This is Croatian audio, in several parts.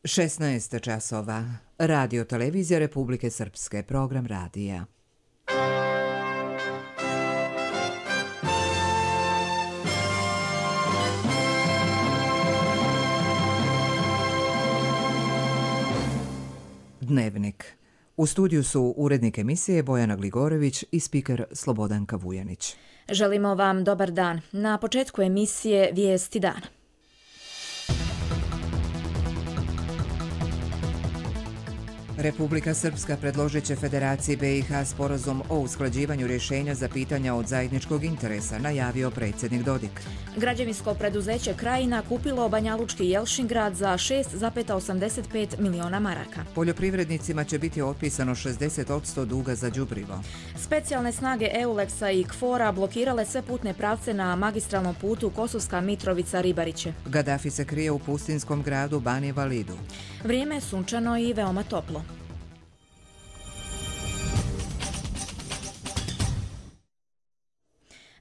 16 časova. Radio Televizija Republike Srpske. Program radija. Dnevnik. U studiju su urednik emisije Bojana Gligorević i spiker Slobodanka Vujanić. Želimo vam dobar dan. Na početku emisije Vijesti dana. Republika Srpska predložit će Federaciji BiH sporazum o usklađivanju rješenja za pitanja od zajedničkog interesa, najavio predsjednik Dodik. Građevinsko preduzeće Krajina kupilo Banjalučki Jelšingrad za 6,85 miliona maraka. Poljoprivrednicima će biti otpisano 60% duga za đubrivo. Specijalne snage EULEX-a i KFOR-a blokirale sve putne pravce na magistralnom putu Kosovska Mitrovica-Ribariće. Gadafi se krije u pustinskom gradu Bani Validu. Vrijeme je sunčano i veoma toplo.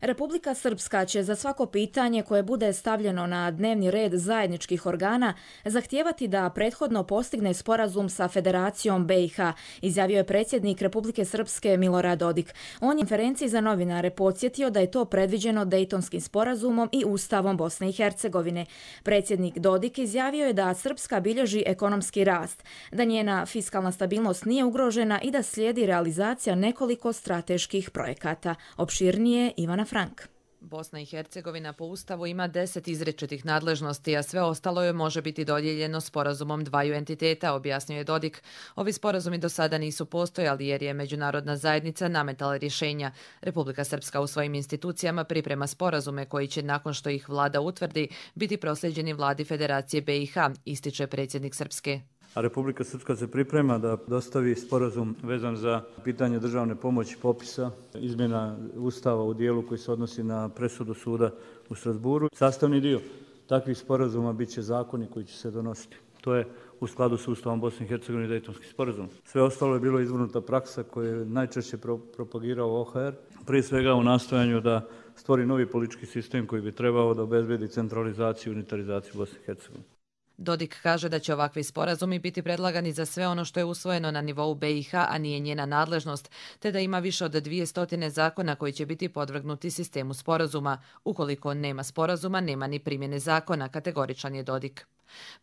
Republika Srpska će za svako pitanje koje bude stavljeno na dnevni red zajedničkih organa zahtijevati da prethodno postigne sporazum sa Federacijom BiH, izjavio je predsjednik Republike Srpske Milorad Dodik. On je u konferenciji za novinare podsjetio da je to predviđeno Dejtonskim sporazumom i Ustavom Bosne i Hercegovine. Predsjednik Dodik izjavio je da Srpska bilježi ekonomski rast, da njena fiskalna stabilnost nije ugrožena i da slijedi realizacija nekoliko strateških projekata. Opširnije Ivana Frank. Bosna i Hercegovina po Ustavu ima 10 izričitih nadležnosti, a sve ostalo joj može biti dodijeljeno sporazumom dvaju entiteta, objasnio je Dodik. Ovi sporazumi do sada nisu postojali jer je međunarodna zajednica nametala rješenja. Republika Srpska u svojim institucijama priprema sporazume koji će, nakon što ih vlada utvrdi, biti prosljeđeni vladi Federacije BiH, ističe predsjednik Srpske. A Republika Srpska se priprema da dostavi sporazum vezan za pitanje državne pomoći popisa, izmjena Ustava u dijelu koji se odnosi na presudu suda u Strasburu. Sastavni dio takvih sporazuma bit će zakoni koji će se donositi. To je u skladu s Ustavom Bosne i Hercegovine i Dejtonski sporazum. Sve ostalo je bilo izvrnuta praksa koju je najčešće propagirao OHR, prije svega u nastojanju da stvori novi politički sistem koji bi trebao da obezbedi centralizaciju i unitarizaciju Bosne i Hercegovine. Dodik kaže da će ovakvi sporazumi biti predlagani za sve ono što je usvojeno na nivou BiH, a nije njena nadležnost, te da ima više od 200 zakona koji će biti podvrgnuti sistemu sporazuma. Ukoliko nema sporazuma, nema ni primjene zakona, kategoričan je Dodik.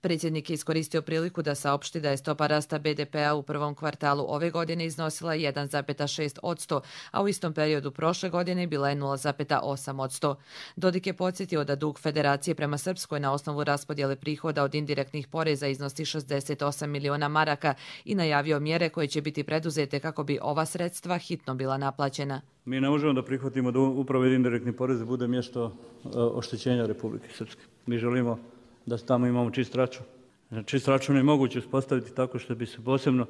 Predsjednik je iskoristio priliku da saopšti da je stopa rasta BDP-a u prvom kvartalu ove godine iznosila 1,6%, a u istom periodu prošle godine bila je 0,8%. Dodik je podsjetio da dug Federacije prema Srpskoj na osnovu raspodjele prihoda od indirektnih poreza iznosi 68 miliona maraka i najavio mjere koje će biti preduzete kako bi ova sredstva hitno bila naplaćena. Mi ne možemo da prihvatimo da upravo indirektni porez bude mjesto oštećenja Republike Srpske. Mi želimo da tamo imamo čist račun. Čist račun je moguće uspostaviti tako što bi se posebno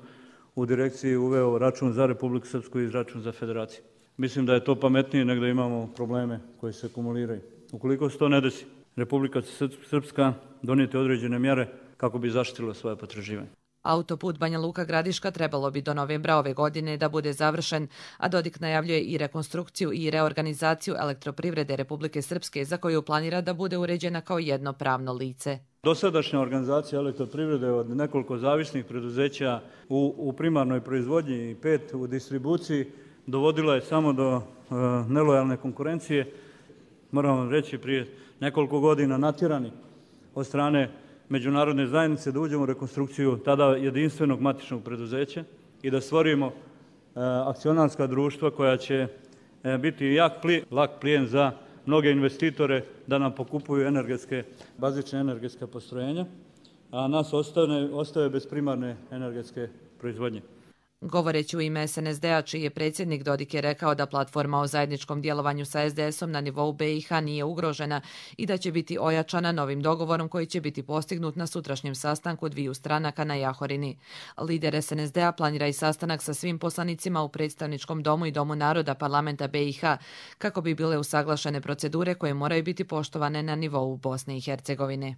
u direkciji uveo račun za Republiku Srpsku i račun za Federaciju. Mislim da je to pametnije nego da imamo probleme koji se akumuliraju. Ukoliko se to ne desi, Republika Srpska donijeti određene mjere kako bi zaštitila svoje potraživanje. Autoput Banja Luka Gradiška trebalo bi do novembra ove godine da bude završen, a Dodik najavljuje i rekonstrukciju i reorganizaciju elektroprivrede Republike Srpske, za koju planira da bude uređena kao jedno pravno lice. Dosadašnja organizacija elektroprivrede od nekoliko zavisnih preduzeća u primarnoj proizvodnji i 5 u distribuciji dovodila je samo do nelojalne konkurencije. Moram vam reći, prije nekoliko godina natjerani od strane međunarodne zajednice da uđemo u rekonstrukciju tada jedinstvenog matičnog preduzeća i da stvorimo akcionarska društva koja će biti lak plijen za mnoge investitore da nam pokupuju bazične energetske postrojenja, a nas ostaje bez primarne energetske proizvodnje. Govoreći u ime SNSD-a, čiji je predsjednik, Dodik je rekao da platforma o zajedničkom djelovanju sa SDS-om na nivou BiH nije ugrožena i da će biti ojačana novim dogovorom koji će biti postignut na sutrašnjem sastanku dviju stranaka na Jahorini. Lider SNSD-a planira i sastanak sa svim poslanicima u predstavničkom domu i domu naroda parlamenta BiH kako bi bile usaglašene procedure koje moraju biti poštovane na nivou Bosne i Hercegovine.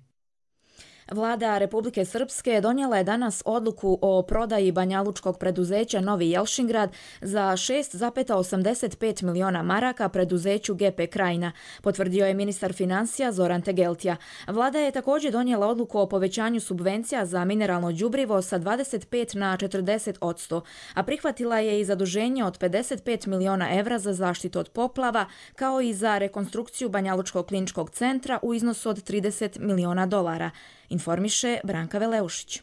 Vlada Republike Srpske donijela je danas odluku o prodaji banjalučkog preduzeća Novi Jelšingrad za 6,85 miliona maraka preduzeću GP Krajina, potvrdio je ministar financija Zoran Tegeltija. Vlada je također donijela odluku o povećanju subvencija za mineralno đubrivo sa 25 na 40%, a prihvatila je i zaduženje od 55 miliona evra za zaštitu od poplava, kao i za rekonstrukciju Banjalučkog kliničkog centra u iznosu od $30 miliona, informiše Branka Veleušić.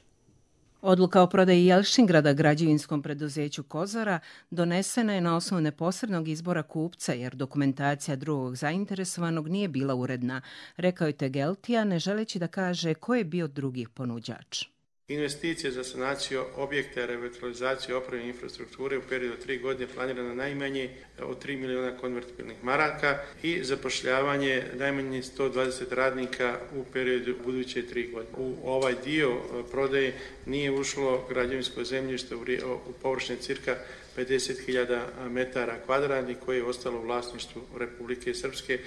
Odluka o prodaji Jelšingrada građevinskom preduzeću Kozara donesena je na osnovu neposrednog izbora kupca jer dokumentacija drugog zainteresovanog nije bila uredna, rekao je Tegeltija, ne želeći da kaže ko je bio drugi ponuđač. Investicije za sanaciju objekta, revitalizaciju opreme i infrastrukture u periodu od 3 godine planirano najmanje od 3 miliona konvertibilnih maraka i zapošljavanje najmanje 120 radnika u periodu buduće 3 godine. U ovaj dio prodaje nije ušlo građevinsko zemljište u površini cirka 50.000 metara kvadratnih koje je ostalo u vlasništvu Republike Srpske.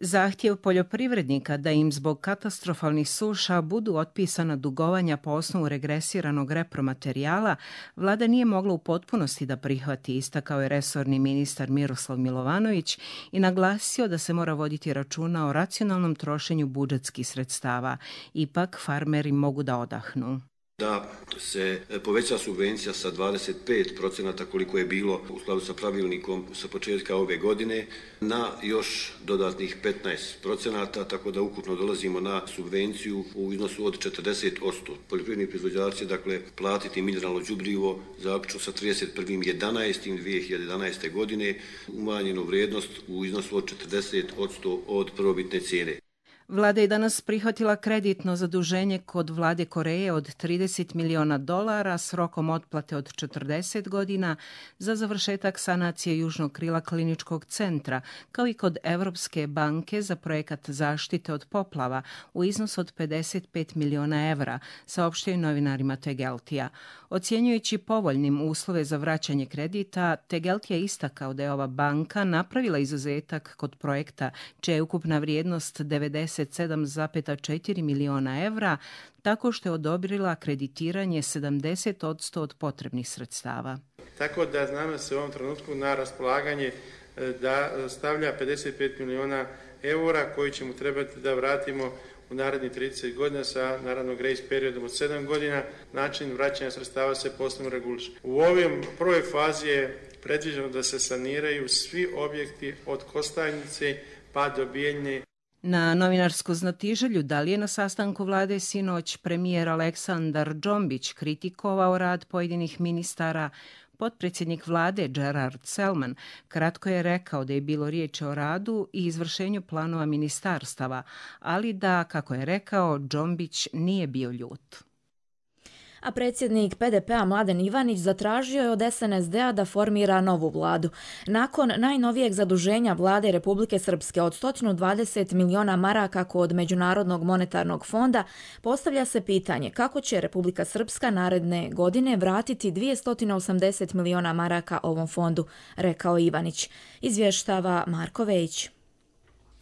Zahtjev poljoprivrednika da im zbog katastrofalnih suša budu otpisana dugovanja po osnovu regresiranog repromaterijala, vlada nije mogla u potpunosti da prihvati, istakao je resorni ministar Miroslav Milovanović i naglasio da se mora voditi računa o racionalnom trošenju budžetskih sredstava. Ipak farmeri mogu da odahnu. Da se poveća subvencija sa 25% koliko je bilo u skladu sa pravilnikom sa početka ove godine na još dodatnih 15%, tako da ukupno dolazimo na subvenciju u iznosu od 40%. Poljoprivredni proizvođači dakle platiti mineralno đubrivo zaključno sa 31.11.2011. godine umanjenu vrijednost u iznosu od 40% od prvobitne cijene. Vlada je danas prihvatila kreditno zaduženje kod vlade Koreje od $30 miliona s rokom otplate od 40 godina za završetak sanacije južnog krila kliničkog centra, kao i kod Evropske banke za projekat zaštite od poplava u iznosu od 55 miliona evra, saopštio je novinarima Tegeltija. Ocjenjujući povoljnim uslove za vraćanje kredita, Tegeltija je istakao da je ova banka napravila izuzetak kod projekta čija je ukupna vrijednost 97,4 miliona evra, tako što je odobrila kreditiranje 70% od potrebnih sredstava. Tako da znam da se u ovom trenutku na raspolaganje da stavlja 55 miliona eura koji ćemo trebati da vratimo u narednih 30 godina sa naravno grace periodom od 7 godina. Način vraćanja sredstava se posebno reguliše. U ovoj prvoj fazi je predviđeno da se saniraju svi objekti od Kostajnice pa do Bijeljne. Na novinarsku znatiželju da li je na sastanku vlade sinoć premijer Aleksandar Džombić kritikovao rad pojedinih ministara, potpredsjednik vlade Gerard Selman kratko je rekao da je bilo riječ o radu i izvršenju planova ministarstava, ali da, kako je rekao, Džombić nije bio ljut. A predsjednik PDP-a Mladen Ivanić zatražio je od SNSD-a da formira novu vladu. Nakon najnovijeg zaduženja vlade Republike Srpske od 120 miliona maraka kod Međunarodnog monetarnog fonda, postavlja se pitanje kako će Republika Srpska naredne godine vratiti 280 miliona maraka ovom fondu, rekao Ivanić. Izvještava Marko Vejić.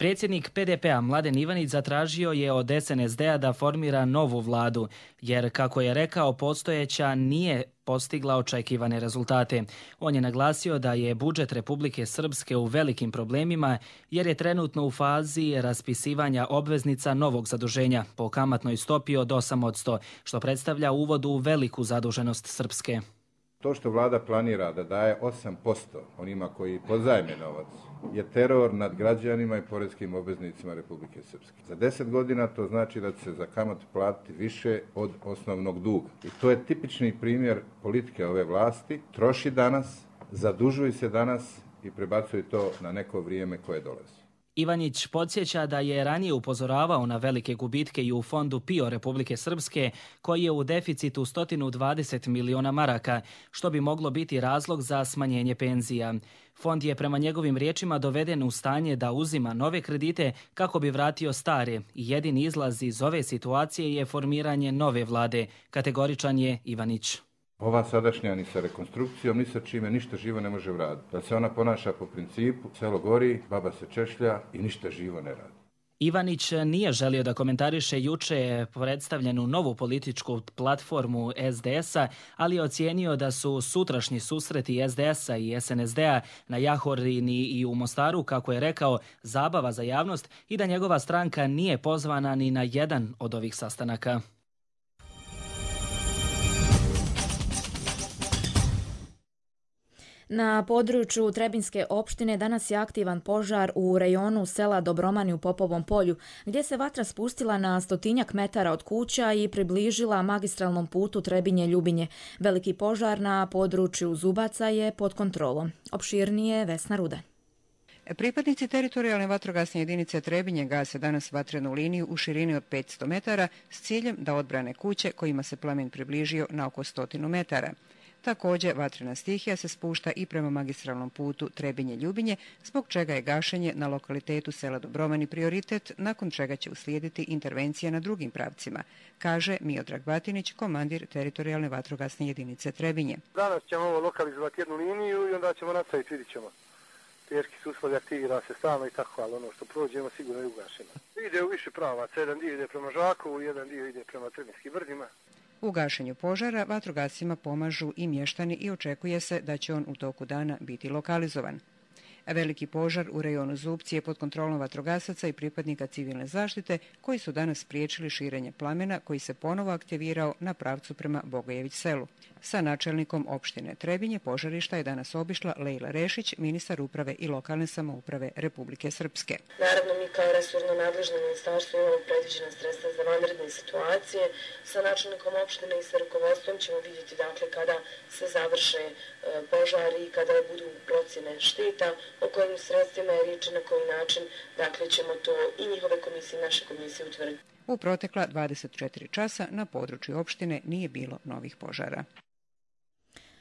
Predsjednik PDP-a Mladen Ivanić zatražio je od SNSD-a da formira novu vladu, jer, kako je rekao, postojeća nije postigla očekivane rezultate. On je naglasio da je budžet Republike Srpske u velikim problemima jer je trenutno u fazi raspisivanja obveznica novog zaduženja po kamatnoj stopi od 8%, što predstavlja uvod u veliku zaduženost Srpske. To što vlada planira da daje 8% onima koji pozajme novac je teror nad građanima i poreskim obveznicima Republike Srpske. Za 10 godina to znači da će se za kamatu platiti više od osnovnog duga. I to je tipični primjer politike ove vlasti. Troši danas, zadužuje se danas i prebacuje to na neko vrijeme koje dolazi. Ivanić podsjeća da je ranije upozoravao na velike gubitke i u fondu PIO Republike Srpske, koji je u deficitu 120 miliona maraka, što bi moglo biti razlog za smanjenje penzija. Fond je prema njegovim riječima doveden u stanje da uzima nove kredite kako bi vratio stare i jedini izlaz iz ove situacije je formiranje nove vlade, kategoričan je Ivanić. Ova sadašnja ni sa rekonstrukcijom, ni sa čime ništa živo ne može vratiti. Da se ona ponaša po principu selo gori, baba se češlja i ništa živo ne radi. Ivanić nije želio da komentariše juče predstavljenu novu političku platformu SDS-a, ali je ocijenio da su sutrašnji susreti SDS-a i SNSD-a na Jahorini i u Mostaru, kako je rekao, zabava za javnost i da njegova stranka nije pozvana ni na jedan od ovih sastanaka. Na području Trebinjske opštine danas je aktivan požar u rejonu sela Dobromani u Popovom polju, gdje se vatra spustila na 100-tinjak metara od kuća i približila magistralnom putu Trebinje-Ljubinje. Veliki požar na području Zubaca je pod kontrolom. Opširnije Vesna Rudan. Pripadnici teritorijalne vatrogasne jedinice Trebinje gase danas vatrenu liniju u širini od 500 metara s ciljem da odbrane kuće kojima se plamen približio na oko 100 metara. Također, vatrena stihija se spušta i prema magistralnom putu Trebinje-Ljubinje, zbog čega je gašenje na lokalitetu sela Dobromani prioritet, nakon čega će uslijediti intervencija na drugim pravcima, kaže Miodrag Batinić, komandir teritorijalne vatrogasne jedinice Trebinje. Danas ćemo ovo lokalizovati jednu liniju i onda ćemo nastaviti, vidit ćemo. Teški su uslovi, aktivira se stalno i tako, ali ono što prođemo sigurno je ugašeno. Ide u više pravaca, jedan dio ide prema Žakovu, jedan dio ide prema Trebinskim brdima. U gašenju požara vatrogascima pomažu i mještani i očekuje se da će on u toku dana biti lokalizovan. Veliki požar u rejonu Zubci je pod kontrolom vatrogasaca i pripadnika civilne zaštite koji su danas spriječili širenje plamena koji se ponovo aktivirao na pravcu prema Bogojević selu. Sa načelnikom opštine Trebinje požarišta je danas obišla Lejla Rešić, ministar uprave i lokalne samouprave Republike Srpske. Naravno, mi kao resorno nadležno ministarstvo imamo predviđena sredstva za vanredne situacije. Sa načelnikom opštine i sa rukovodstvom ćemo vidjeti kada se završe požari i kada budu procjene šteta, o kojim sredstvima je riječ i na koji način, ćemo to i njihove komisije i naše komisije utvrditi. U protekla 24 časa na području opštine nije bilo novih požara.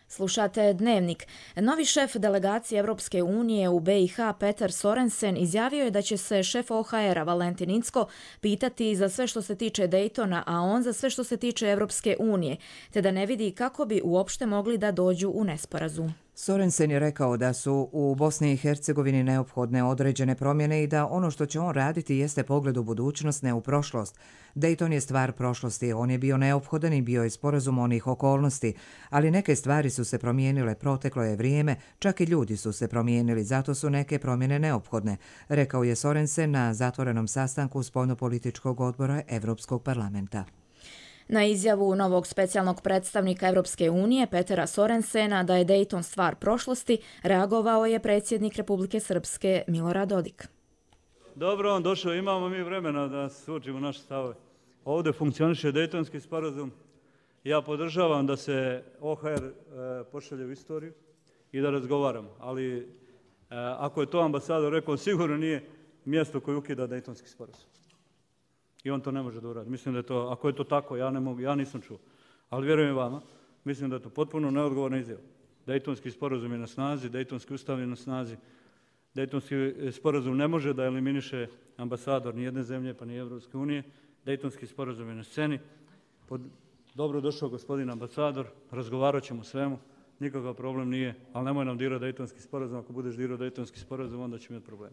Slušate Dnevnik. Novi šef delegacije Europske unije u BiH Petar Sorensen izjavio je da će se šef OHR-a Valentin Incko pitati za sve što se tiče Daytona, a on za sve što se tiče Europske unije, te da ne vidi kako bi uopšte mogli da dođu u nesporazum. Sorensen je rekao da su u Bosni i Hercegovini neophodne određene promjene i da ono što će on raditi jeste pogled u budućnost, ne u prošlost. Dayton je stvar prošlosti, on je bio neophodan i bio je sporazum onih okolnosti, ali neke stvari su se promijenile, proteklo je vrijeme, čak i ljudi su se promijenili, zato su neke promjene neophodne, rekao je Sorensen na zatvorenom sastanku spoljnopolitičkog odbora Europskog parlamenta. Na izjavu novog specijalnog predstavnika Europske unije Petera Sorensena da je Dayton stvar prošlosti, reagovao je predsjednik Republike Srpske Milorad Dodik. Dobro, on došao, imamo mi vremena da suočimo naše stavove. Ovdje funkcioniše Daytonski sporazum. Ja podržavam da se OHR pošalje u istoriju i da razgovaramo, ali ako je to ambasador rekao, sigurno nije mjesto koje ukida Daytonski sporazum. I on to ne može da uradi. Mislim da je to, ako je to tako, ja nisam čuo. Ali vjerujem vama, mislim da je to potpuno neodgovorna izjava. Daytonski sporazum je na snazi, Daytonski ustav je na snazi. Daytonski sporazum ne može da eliminiše ambasador ni jedne zemlje, pa ni Evropske unije. Daytonski sporazum je na sceni. Dobro došao gospodin ambasador, razgovarat ćemo svemu, nikakav problem nije, ali nemoj nam dirati Daytonski sporazum. Ako budeš dirao Daytonski sporazum, onda će imati problem.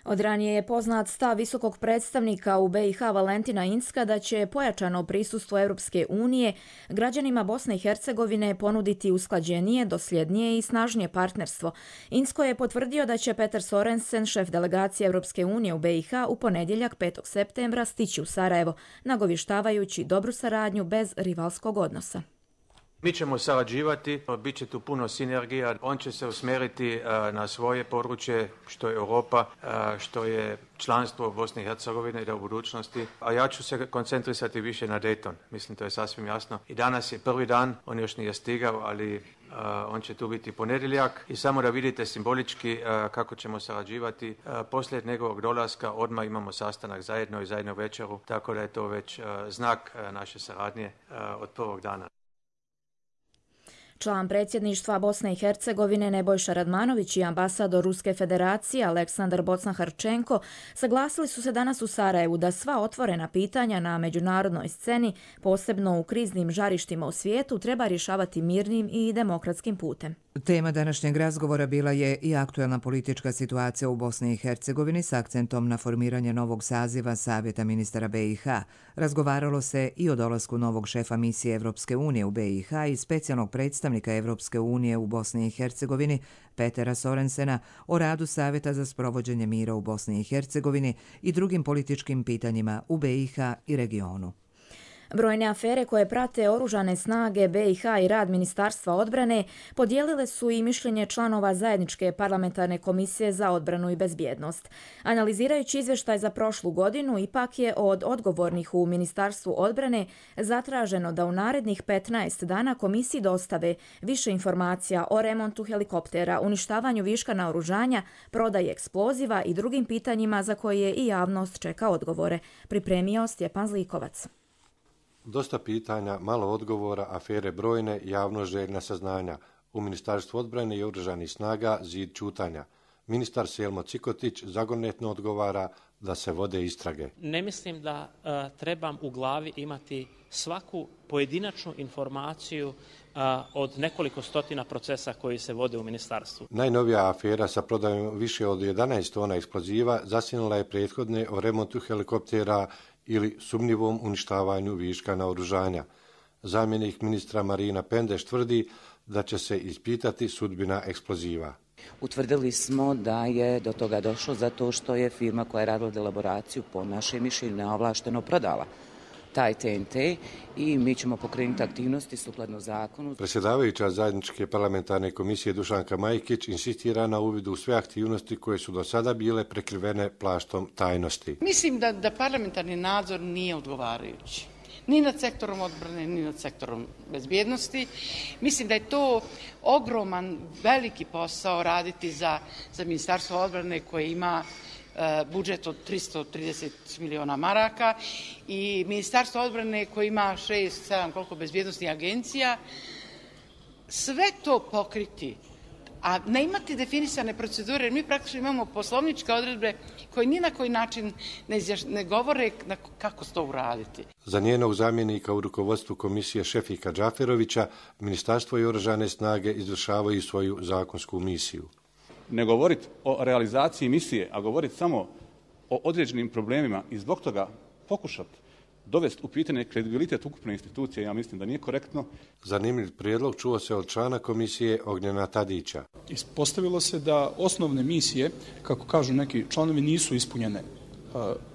Od ranije je poznat stav visokog predstavnika u BiH Valentina Incka da će pojačano prisustvo Europske unije građanima Bosne i Hercegovine ponuditi usklađenije, dosljednije i snažnije partnerstvo. Incko je potvrdio da će Petar Sorensen, šef delegacije Europske unije u BiH, u ponedjeljak 5. septembra stići u Sarajevo, nagovještavajući dobru saradnju bez rivalskog odnosa. Mi ćemo sarađivati, bit će tu puno sinergija, on će se usmjeriti na svoje područje, što je Europa, što je članstvo Bosne i Hercegovine da u budućnosti, a ja ću se koncentrisati više na Dayton, mislim to je sasvim jasno. I danas je prvi dan, on još nije stigao, ali on će tu biti ponedjeljak i samo da vidite simbolički kako ćemo sarađivati. Poslije njegovog dolaska odmah imamo sastanak zajedno i zajedno večeru, tako da je to već znak naše saradnje od prvog dana. Član predsjedništva Bosne i Hercegovine Nebojša Radmanović i ambasador Ruske federacije Aleksandar Bocnharčenko saglasili su se danas u Sarajevu da sva otvorena pitanja na međunarodnoj sceni, posebno u kriznim žarištima u svijetu, treba rješavati mirnim i demokratskim putem. Tema današnjeg razgovora bila je i aktuelna politička situacija u Bosni i Hercegovini s akcentom na formiranje novog saziva Savjeta ministara BiH. Razgovaralo se i o dolasku novog šefa misije Evropske unije u BiH i specijalnog predstavnika Evropske unije u Bosni i Hercegovini Petera Sorensena, o radu Savjeta za sprovođenje mira u Bosni i Hercegovini i drugim političkim pitanjima u BiH i regionu. Brojne afere koje prate oružane snage BiH i rad Ministarstva odbrane podijelile su i mišljenje članova Zajedničke parlamentarne komisije za odbranu i bezbjednost. Analizirajući izvještaj za prošlu godinu, ipak je od odgovornih u Ministarstvu odbrane zatraženo da u narednih 15 dana komisiji dostave više informacija o remontu helikoptera, uništavanju viška naoružanja, prodaji eksploziva i drugim pitanjima za koje i javnost čeka odgovore. Pripremio Stjepan Zlikovac. Dosta pitanja, malo odgovora, afere brojne, javnost željna saznanja. U Ministarstvu odbrane i oružanih snaga zid ćutanja. Ministar Selmo Cikotić zagonetno odgovara da se vode istrage. Ne mislim da trebam u glavi imati svaku pojedinačnu informaciju od nekoliko stotina procesa koji se vode u ministarstvu. Najnovija afera sa prodajom više od 11 tona eksploziva zasjenila je prethodne o remontu helikoptera ili sumnjivom uništavanju viška naoružanja. Zamjenik ministra Marina Pendeš tvrdi da će se ispitati sudbina eksploziva. Utvrdili smo da je do toga došlo zato što je firma koja je radila elaboraciju po našem mišljenju neovlašteno prodala taj TNT i mi ćemo pokrenuti aktivnosti sukladno zakonu. Predsjedavajuća Zajedničke parlamentarne komisije Dušanka Majkić insistira na uvidu u sve aktivnosti koje su do sada bile prekrivene plaštom tajnosti. Mislim da parlamentarni nadzor nije odgovarajući. Ni nad sektorom odbrane, ni nad sektorom bezbjednosti. Mislim da je to ogroman, veliki posao raditi za Ministarstvo odbrane koje ima budžet od 330 miliona maraka i Ministarstvo odbrane koje ima 6-7 koliko bezbjednostnih agencija. Sve to pokriti, a ne imati definisane procedure, jer mi praktično imamo poslovničke odredbe koje ni na koji način ne govore kako to uraditi. Za njenog zamjenika u rukovodstvu komisije Šefika Džaferovića, Ministarstvo i oružane snage izvršavaju svoju zakonsku misiju. Ne govoriti o realizaciji misije, a govoriti samo o određenim problemima i zbog toga pokušati dovesti u pitanje kredibilitet ukupne institucije, ja mislim da nije korektno. Zanimljiv prijedlog čuo se od člana komisije Ognjena Tadića. Ispostavilo se da osnovne misije, kako kažu neki članovi, nisu ispunjene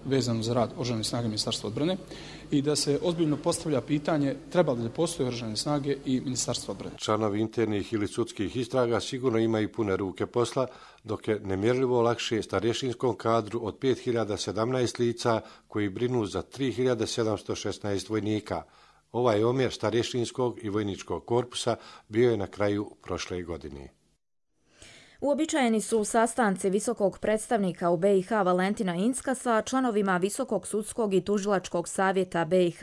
vezano za rad oružanih snaga Ministarstva odbrane i da se ozbiljno postavlja pitanje treba li da postoje oružane snage i Ministarstvo odbrane. Članovi internih ili sudskih istraga sigurno imaju pune ruke posla, dok je nemjerljivo lakše starješinskom kadru od 5017 lica koji brinu za 3716 vojnika. Ovaj omjer starješinskog i vojničkog korpusa bio je na kraju prošle godine. Uobičajeni su sastanci visokog predstavnika u BiH Valentina Incka sa članovima Visokog sudskog i tužilačkog savjeta BiH,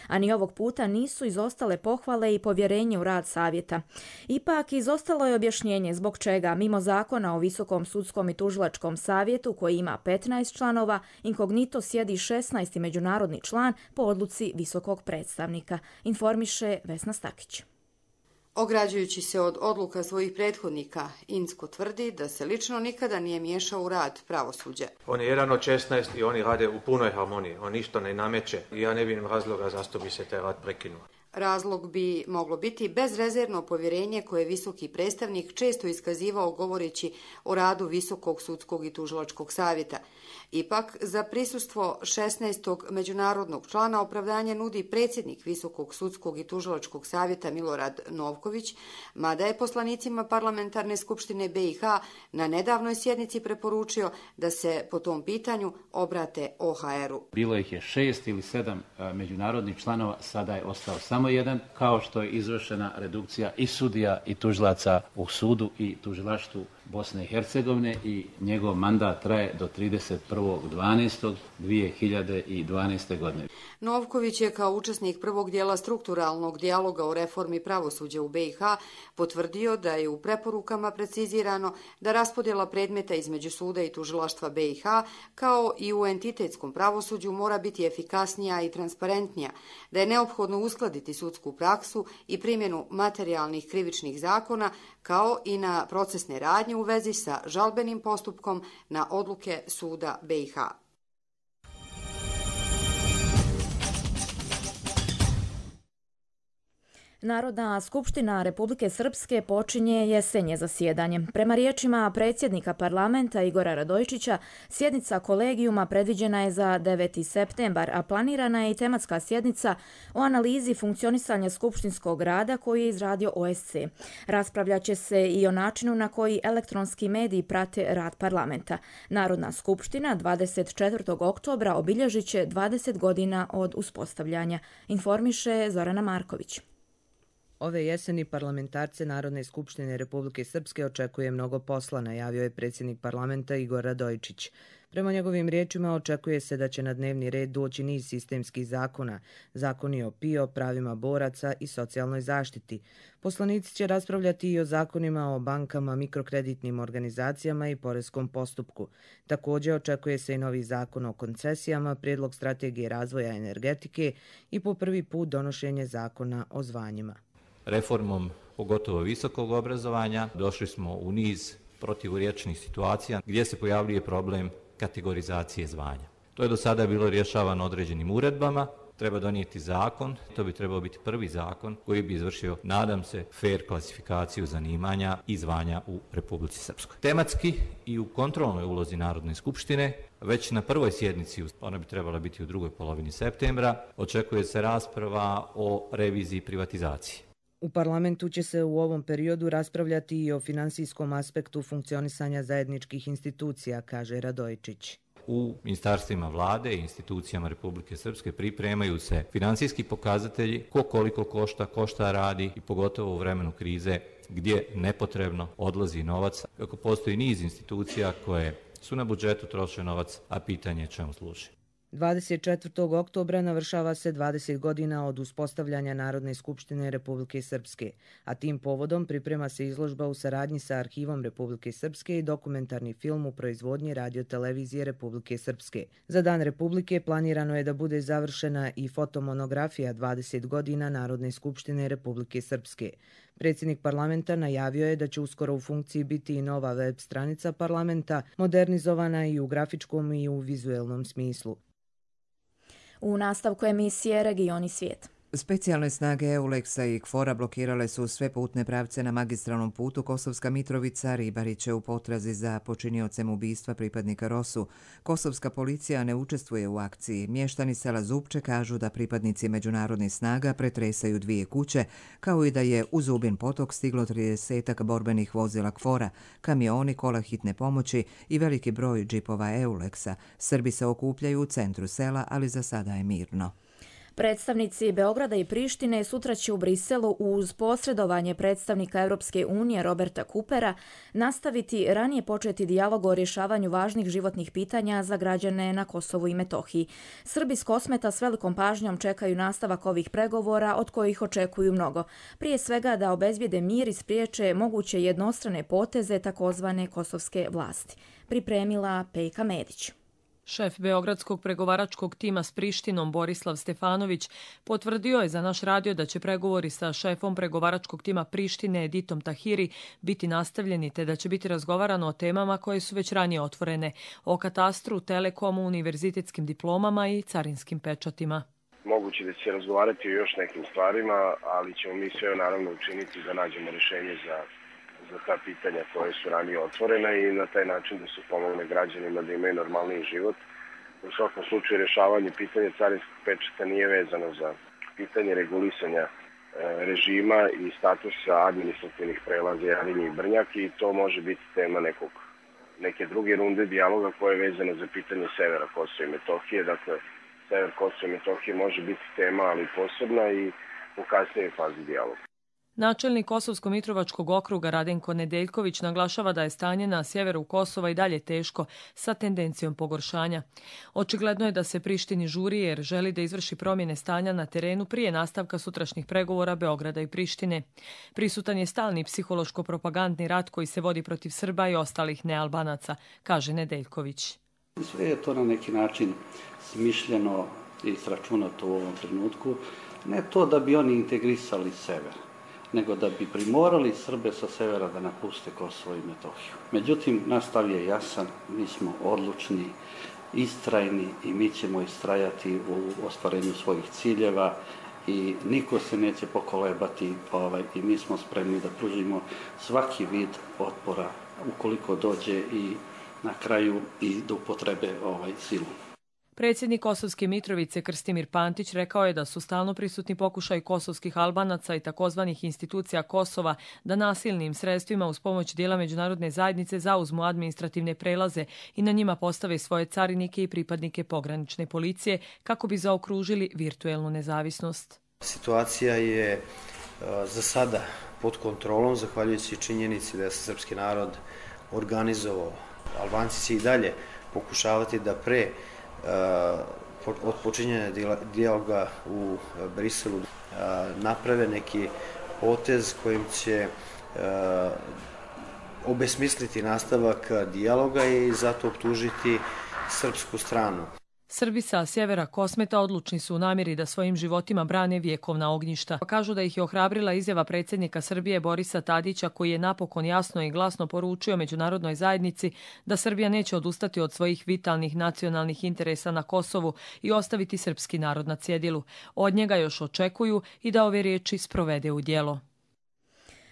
a ni ovog puta nisu izostale pohvale i povjerenje u rad savjeta. Ipak izostalo je objašnjenje zbog čega, mimo zakona o Visokom sudskom i tužilačkom savjetu koji ima 15 članova, inkognito sjedi 16. međunarodni član po odluci visokog predstavnika, informiše Vesna Stakić. Ograđujući se od odluka svojih prethodnika, Incko tvrdi da se lično nikada nije miješao u rad pravosuđa. On je jedan od 16 i oni rade u punoj harmoniji, on ništa ne nameće i ja ne vidim razloga zašto bi se taj rad prekinuo. Razlog bi moglo biti bezrezervno povjerenje koje je visoki predstavnik često iskazivao govoreći o radu Visokog sudskog i tužilačkog savjeta. Ipak, za prisustvo 16. međunarodnog člana opravdanje nudi predsjednik Visokog sudskog i tužilačkog savjeta Milorad Novković, mada je poslanicima Parlamentarne skupštine BiH na nedavnoj sjednici preporučio da se po tom pitanju obrate OHR-u. Bilo ih je 6 ili 7 međunarodnih članova, sada je ostao samo samo jedan, kao što je izvršena redukcija i sudija i tužilaca u sudu i tužilaštvu Bosne i Hercegovine i njegov mandat traje do 31.12.2012. godine. Novković je kao učesnik prvog dijela strukturalnog dijaloga o reformi pravosuđa u BiH potvrdio da je u preporukama precizirano da raspodjela predmeta između suda i tužilaštva BiH kao i u entitetskom pravosuđu mora biti efikasnija i transparentnija, da je neophodno uskladiti sudsku praksu i primjenu materijalnih krivičnih zakona kao i na procesne radnje u vezi sa žalbenim postupkom na odluke suda BiH. Narodna skupština Republike Srpske počinje jesenje zasjedanje. Prema riječima predsjednika parlamenta Igora Radojičića, sjednica kolegijuma predviđena je za 9. septembar, a planirana je i tematska sjednica o analizi funkcionisanja skupštinskog rada koji je izradio OSC. Raspravljat će se i o načinu na koji elektronski mediji prate rad parlamenta. Narodna skupština 24. oktobra obilježit će 20 godina od uspostavljanja, informiše Zorana Marković. Ove jeseni parlamentarce Narodne skupštine Republike Srpske očekuje mnogo posla, najavio je predsjednik parlamenta Igor Radojičić. Prema njegovim riječima očekuje se da će na dnevni red doći niz sistemskih zakona, zakoni o PIO, pravima boraca i socijalnoj zaštiti. Poslanici će raspravljati i o zakonima o bankama, mikrokreditnim organizacijama i poreskom postupku. Također očekuje se i novi zakon o koncesijama, prijedlog strategije razvoja energetike i po prvi put donošenje zakona o zvanjima. Reformom pogotovo visokog obrazovanja došli smo u niz protivurječnih situacija gdje se pojavljuje problem kategorizacije zvanja. To je do sada bilo rješavano određenim uredbama, treba donijeti zakon, to bi trebao biti prvi zakon koji bi izvršio, nadam se, fair klasifikaciju zanimanja i zvanja u Republici Srpskoj. Tematski i u kontrolnoj ulozi Narodne skupštine, već na prvoj sjednici, ona bi trebala biti u drugoj polovini septembra, očekuje se rasprava o reviziji privatizacije. U parlamentu će se u ovom periodu raspravljati i o finansijskom aspektu funkcionisanja zajedničkih institucija, kaže Radojičić. U ministarstvima vlade i institucijama Republike Srpske pripremaju se finansijski pokazatelji, ko koliko košta, ko šta radi i pogotovo u vremenu krize gdje nepotrebno odlazi novac, kako postoji niz institucija koje su na budžetu troše novac, a pitanje je čemu služi. 24. oktobra navršava se 20 godina od uspostavljanja Narodne skupštine Republike Srpske, a tim povodom priprema se izložba u saradnji sa Arhivom Republike Srpske i dokumentarni film u proizvodnji radiotelevizije Republike Srpske. Za Dan Republike planirano je da bude završena i fotomonografija 20 godina Narodne skupštine Republike Srpske. Predsjednik parlamenta najavio je da će uskoro u funkciji biti i nova web stranica parlamenta, modernizovana i u grafičkom i u vizuelnom smislu. U nastavku emisije Regioni svijet. Specijalne snage EULEX-a i KFOR-a blokirale su sve putne pravce na magistralnom putu Kosovska Mitrovica. Ribari će u potrazi za počiniocem ubistva pripadnika ROSU. Kosovska policija ne učestvuje u akciji. Mještani sela Zupče kažu da pripadnici međunarodnih snaga pretresaju 2 kuće, kao i da je u Zubin potok stiglo 30 borbenih vozila KFOR-a, kamioni, kola hitne pomoći i veliki broj džipova EULEX-a. Srbi se okupljaju u centru sela, ali za sada je mirno. Predstavnici Beograda i Prištine sutra će u Briselu uz posredovanje predstavnika Europske unije Roberta Coopera nastaviti ranije početi dijalog o rješavanju važnih životnih pitanja za građane na Kosovu i Metohiji. Srbi s Kosmeta s velikom pažnjom čekaju nastavak ovih pregovora od kojih očekuju mnogo. Prije svega da obezbijede mir i spriječe moguće jednostrane poteze takozvane kosovske vlasti. Pripremila Pejka Medić. Šef Beogradskog pregovaračkog tima s Prištinom Borislav Stefanović potvrdio je za naš radio da će pregovori sa šefom pregovaračkog tima Prištine Editom Tahiri biti nastavljeni te da će biti razgovarano o temama koje su već ranije otvorene, o katastru, telekomu, univerzitetskim diplomama i carinskim pečatima. Moguće da će se razgovarati o još nekim stvarima, ali ćemo mi sve naravno učiniti da nađemo rješenje za ta pitanja koje su ranije otvorene i na taj način da se pomogne građanima da imaju normalniji život. U svakom slučaju rješavanje pitanja carinskog pečata nije vezano za pitanje regulisanja režima i statusa administrativnih prelaza Jarinje i Brnjak i to može biti tema neke druge runde dijaloga koje je vezano za pitanje severa Kosova i Metohije. Dakle, sever Kosova i Metohije može biti tema, ali posebna i u kasnijoj fazi dijaloga. Načelnik Kosovsko-Mitrovačkog okruga Radenko Nedeljković naglašava da je stanje na sjeveru Kosova i dalje teško sa tendencijom pogoršanja. Očigledno je da se Prištini žuri jer želi da izvrši promjene stanja na terenu prije nastavka sutrašnjih pregovora Beograda i Prištine. Prisutan je stalni psihološko-propagandni rat koji se vodi protiv Srba i ostalih nealbanaca, kaže Nedeljković. Sve je to na neki način smišljeno i sračunato u ovom trenutku. Ne to da bi oni integrisali sever, nego da bi primorali Srbe sa severa da napuste Kosovo i Metohiju. Međutim, naš stav je jasan, mi smo odlučni, istrajni i mi ćemo istrajati u ostvarenju svojih ciljeva i niko se neće pokolebati i mi smo spremni da pružimo svaki vid otpora ukoliko dođe i na kraju i do upotrebe silu. Predsjednik Kosovske Mitrovice Krstimir Pantić rekao je da su stalno prisutni pokušaj kosovskih Albanaca i takozvanih institucija Kosova da nasilnim sredstvima uz pomoć dijela međunarodne zajednice zauzmu administrativne prelaze i na njima postave svoje carinike i pripadnike pogranične policije kako bi zaokružili virtuelnu nezavisnost. Situacija je za sada pod kontrolom, zahvaljujući činjenici da se srpski narod organizovao. Albanci će i dalje pokušavati da od počinjenja dijaloga u Briselu naprave neki potez kojim će obesmisliti nastavak dijaloga i zato optužiti srpsku stranu. Srbi sa sjevera Kosmeta odlučni su u namjeri da svojim životima brane vjekovna ognjišta. Kažu da ih je ohrabrila izjava predsjednika Srbije Borisa Tadića koji je napokon jasno i glasno poručio međunarodnoj zajednici da Srbija neće odustati od svojih vitalnih nacionalnih interesa na Kosovu i ostaviti srpski narod na cjedilu. Od njega još očekuju i da ove riječi sprovede u djelo.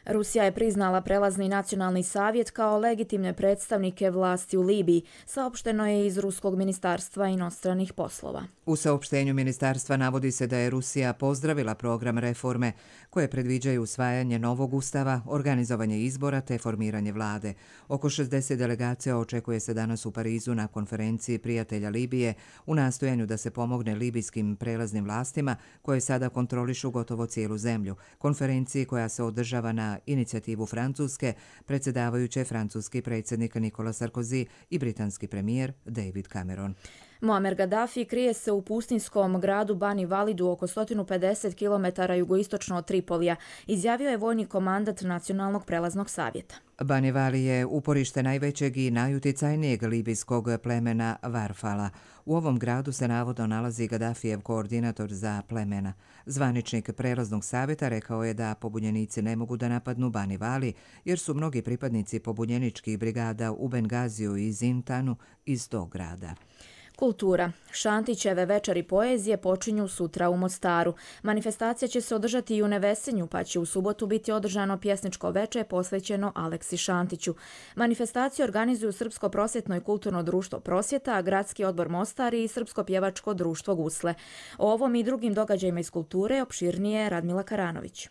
Rusija je priznala prelazni nacionalni savjet kao legitimne predstavnike vlasti u Libiji, saopšteno je iz Ruskog ministarstva inostranih poslova. U saopštenju ministarstva navodi se da je Rusija pozdravila program reforme koje predviđaju usvajanje novog ustava, organizovanje izbora te formiranje vlade. Oko 60 delegacija očekuje se danas u Parizu na konferenciji prijatelja Libije u nastojanju da se pomogne libijskim prelaznim vlastima koje sada kontrolišu gotovo cijelu zemlju. Konferenciji koja se održava na inicijativu Francuske, predsjedavajući francuski predsjednik Nicolas Sarkozy i britanski premijer David Cameron. Muammar Gaddafi krije se u pustinskom gradu Bani Validu oko 150 km jugoistočno od Tripolija, izjavio je vojni komandant Nacionalnog prelaznog savjeta. Bani Vali je uporište najvećeg i najuticajnijeg libijskog plemena Varfala. U ovom gradu se navodno nalazi Gaddafijev koordinator za plemena. Zvaničnik prelaznog savjeta rekao je da pobunjenici ne mogu da napadnu Bani Vali jer su mnogi pripadnici pobunjeničkih brigada u Bengaziju i Zintanu iz tog grada. Kultura. Šantićeve večeri poezije počinju sutra u Mostaru. Manifestacija će se održati i u Nevesenju, pa će u subotu biti održano pjesničko veče posvećeno Aleksi Šantiću. Manifestaciju organizuju Srpsko prosvjetno i kulturno društvo Prosvjeta, Gradski odbor Mostar i Srpsko pjevačko društvo Gusle. O ovom i drugim događajima iz kulture opširnije Radmila Karanović.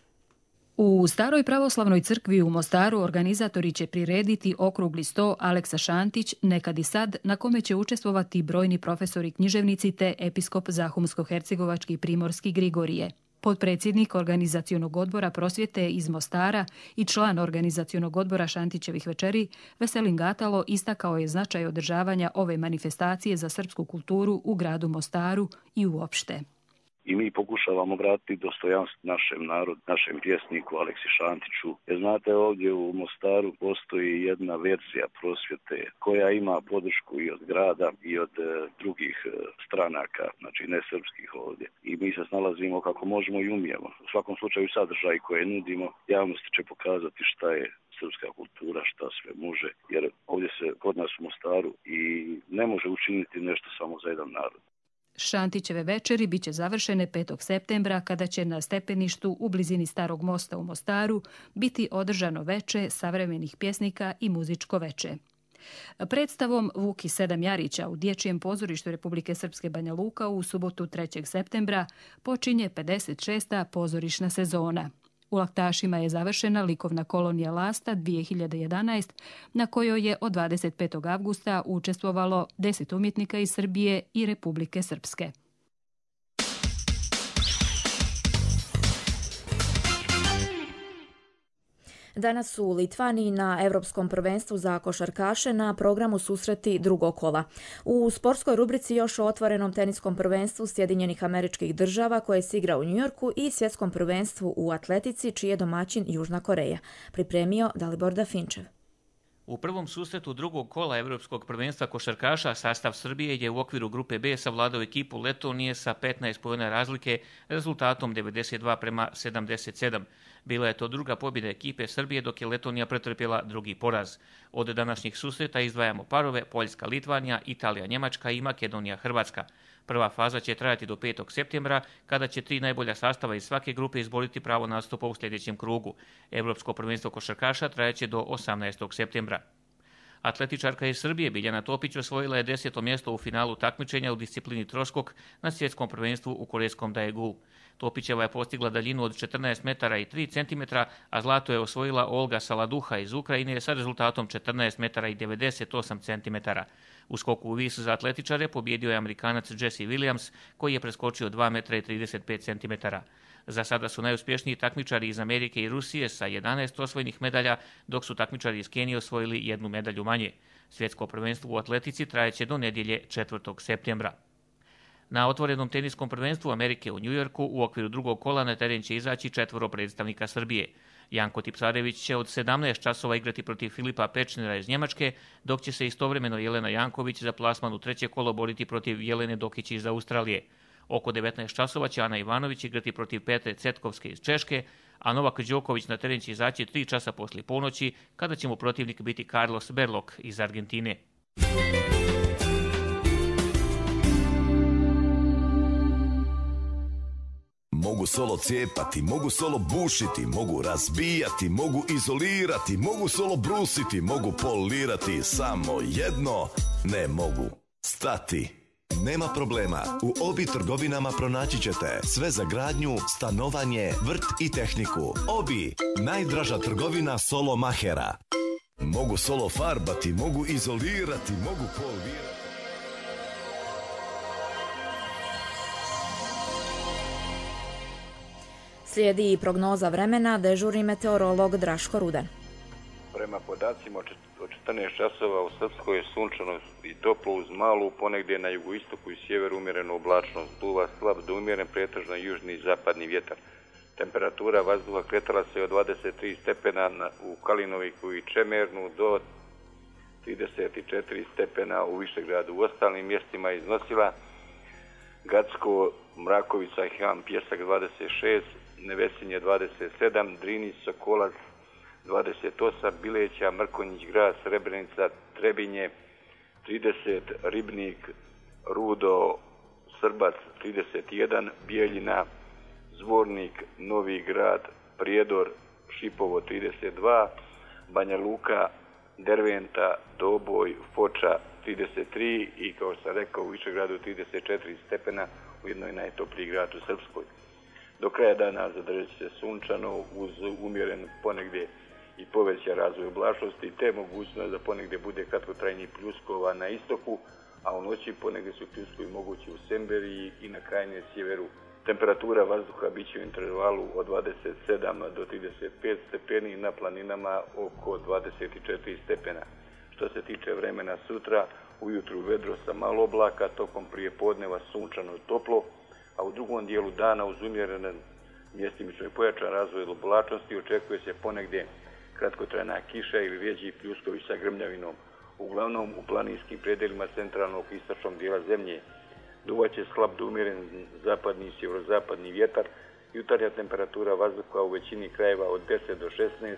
U Staroj pravoslavnoj crkvi u Mostaru organizatori će prirediti okrugli sto Aleksa Šantić, nekad i sad, na kome će učestvovati brojni profesori književnici te episkop Zahumsko-hercegovački Primorski Grigorije. Potpredsjednik organizacionog odbora Prosvjete iz Mostara i član organizacionog odbora Šantićevih večeri, Veselin Gatalo, istakao je značaj održavanja ove manifestacije za srpsku kulturu u gradu Mostaru i uopšte. I mi pokušavamo vratiti dostojanstvo našem narodu, našem pjesniku Aleksi Šantiću. Jer znate, ovdje u Mostaru postoji jedna verzija Prosvjete koja ima podršku i od grada i od drugih stranaka, znači ne srpskih ovdje. I mi se snalazimo kako možemo i umijemo. U svakom slučaju sadržaj koje nudimo javnosti će pokazati šta je srpska kultura, šta sve može. Jer ovdje se kod nas u Mostaru i ne može učiniti nešto samo za jedan narod. Šantićeve večeri biće završene 5. septembra kada će na stepeništu u blizini Starog mosta u Mostaru biti održano veče savremenih pjesnika i muzičko veče. Predstavom Vuki Sedam Jarića u Dječjem pozorištu Republike Srpske Banja Luka u subotu 3. septembra počinje 56. pozorišna sezona. U Laktašima je završena likovna kolonija Lasta 2011, na kojoj je od 25. avgusta učestvovalo 10 umjetnika iz Srbije i Republike Srpske. Danas su u Litvaniji na Europskom prvenstvu za košarkaše na programu susreti drugog kola. U sportskoj rubrici još o otvorenom teniskom prvenstvu Sjedinjenih Američkih Država koje se igra u Njujorku i svjetskom prvenstvu u atletici čiji je domaćin Južna Koreja. Pripremio Dalibor Dafinčev. U prvom susretu drugog kola Evropskog prvenstva košarkaša sastav Srbije je u okviru grupe B savladao ekipu Letonije sa 15 poena razlike rezultatom 92:77. Bila je to druga pobjeda ekipe Srbije dok je Letonija pretrpjela drugi poraz. Od današnjih susreta izdvajamo parove Poljska-Litvanija, Italija-Njemačka i Makedonija-Hrvatska. Prva faza će trajati do 5. septembra, kada će 3 najbolja sastava iz svake grupe izboriti pravo nastupa u sljedećem krugu. Evropsko prvenstvo košarkaša trajaće do 18. septembra. Atletičarka iz Srbije Biljana Topić osvojila je 10. mjesto u finalu takmičenja u disciplini troskok na svjetskom prvenstvu u korejskom Daegu. Topićeva je postigla daljinu od 14 metara i 3 cm, a zlato je osvojila Olga Saladuha iz Ukrajine sa rezultatom 14 metara i 98 cm. U skoku u vis za atletičare pobjedio je Amerikanac Jesse Williams, koji je preskočio 2 metra i 35 cm. Za sada su najuspješniji takmičari iz Amerike i Rusije sa 11 osvojenih medalja, dok su takmičari iz Kenije osvojili 1 medalju manje. Svjetsko prvenstvo u atletici trajeće do nedjelje 4. septembra. Na otvorenom teniskom prvenstvu Amerike u Njujorku u okviru drugog kola na teren će izaći 4 predstavnika Srbije. Janko Tipsarević će od 17 časova igrati protiv Filipa Pečnera iz Njemačke, dok će se istovremeno Jelena Janković za plasman u treće kolo boriti protiv Jelene Dokić iz Australije. Oko 19 časova će Ana Ivanović igrati protiv Petre Cetkovske iz Češke, a Novak Đoković na teren će izaći 3 časa poslije ponoći, kada će mu protivnik biti Carlos Berlok iz Argentine. Mogu solo cijepati, mogu solo bušiti, mogu razbijati, mogu izolirati, mogu solo brusiti, mogu polirati, samo jedno ne mogu stati. Nema problema, u Obi trgovinama pronaći ćete sve za gradnju, stanovanje, vrt i tehniku. Obi, najdraža trgovina solo mahera. Mogu solo farbati, mogu izolirati, mogu polirati. Slijedi i prognoza vremena, dežurni meteorolog Draško Rudan. Prema podacima od 14 časova u Srpskoj je sunčano i toplo uz malu, ponegdje na jugoistoku i sjeveru umjereno oblačnost, duva slab do umjeren pretežno južni i zapadni vjetar. Temperatura vazduha kretala se od 23 stepena u Kalinoviku i Čemernu do 34 stepena u Višegradu. U ostalim mjestima iznosila Gacko, Mrakovica, Ham, Pjesak 26, Nevesinje 27, Drinić, Sokolac 28, Bileća, Mrkonjić, Grad, Srebrenica, Trebinje 30, Ribnik, Rudo, Srbac 31, Bijeljina, Zvornik, Novi Grad, Prijedor, Šipovo 32, Banja Luka, Derventa, Doboj, Foča 33 i kao što sam rekao u Višegradu 34 stepena, ujedno je najtopliji grad u Srpskoj. Do kraja dana zadržat će se sunčano uz umjeren ponegdje i povećan razvoj oblačnosti te mogućnost da ponegdje bude kratkotrajnih pljuskova na istoku, a u noći ponegdje su pljuskovi mogući u Semberiji i na krajnjem sjeveru. Temperatura vazduha bit će u intervalu od 27 do 35 stepeni, na planinama oko 24 stepena. Što se tiče vremena sutra, ujutru vedro sa malo oblaka, tokom prijepodneva sunčano i toplo, a u drugom dijelu dana uz umjerene mjestimično i pojačan razvoj oblačnosti očekuje se ponegdje kratkotrajna kiša ili rjeđi pljuskovi sa grmljavinom, uglavnom u planinskim predelima centralnog i istočnog dijela zemlje. Duvaće slab do umjeren zapadni i sjeverozapadni vjetar, jutarnja temperatura vazduha u većini krajeva od 10 do 16,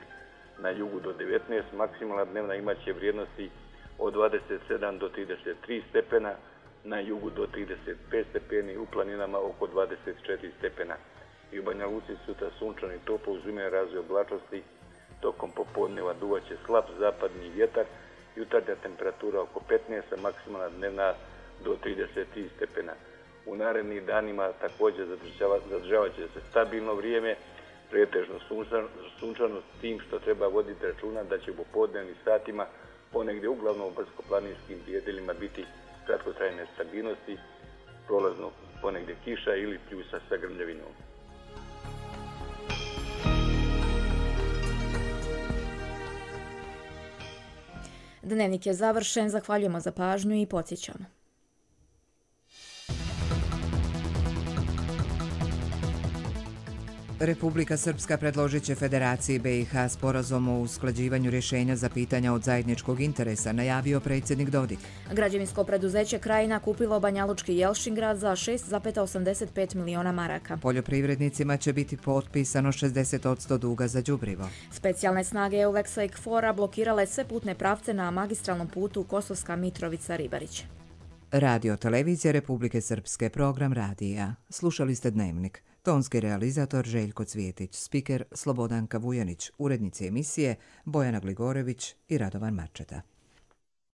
na jugu do 19, maksimalna dnevna imaće vrijednosti od 27 do 33 stepena, na jugu do 35 stepeni, u planinama oko 24 stepena. I u Banja Luci sutra sunčano i toplo uz umjeren razvoj oblačnosti, tokom popodneva duvaće slab zapadni vjetar, jutarnja temperatura oko 15, a maksimalna dnevna do 33 stepena. U narednih danima također zadržavat će se stabilno vrijeme, pretežno sunčano, s tim što treba voditi računa da će u popodnevnim satima ponegdje uglavnom u brdsko-planinskim predjelima biti kratkotrajne stabilnosti, prolazno ponegdje kiša ili pljusa sa grmljavinom. Dnevnik je završen, zahvaljujemo za pažnju i podsjećamo. Republika Srpska predložit će Federaciji BiH sporazum o usklađivanju rješenja za pitanja od zajedničkog interesa, najavio predsjednik Dodik. Građevinsko preduzeće Krajina kupilo Banjalučki Jelšingrad za 6,85 miliona maraka. Poljoprivrednicima će biti potpisano 60% duga za đubrivo. Specijalne snage EULEX-a i KFOR-a blokirale sve putne pravce na magistralnom putu Kosovska Mitrovica-Ribarić. Radio televizija Republike Srpske, program radija. Slušali ste Dnevnik. Tonski realizator Željko Cvijetić, spiker Slobodanka Vujanić, urednici emisije Bojana Gligorević i Radovan Marčeta.